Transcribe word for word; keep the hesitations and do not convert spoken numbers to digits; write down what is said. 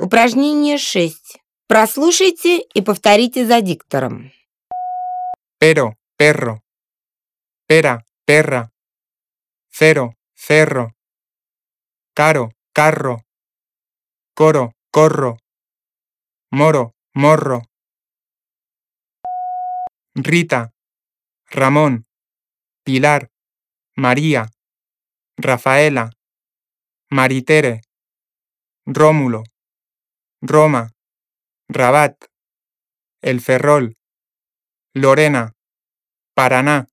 Упражнение шесть. Прослушайте и повторите за диктором. Pero, perro. Pera, perra. Cero, cerro. Caro, carro. Coro, corro. Moro, morro. Rita, Ramón, Pilar, María, Rafaela, Maritere, Rómulo, Roma, Rabat, El Ferrol, Lorena, Paraná.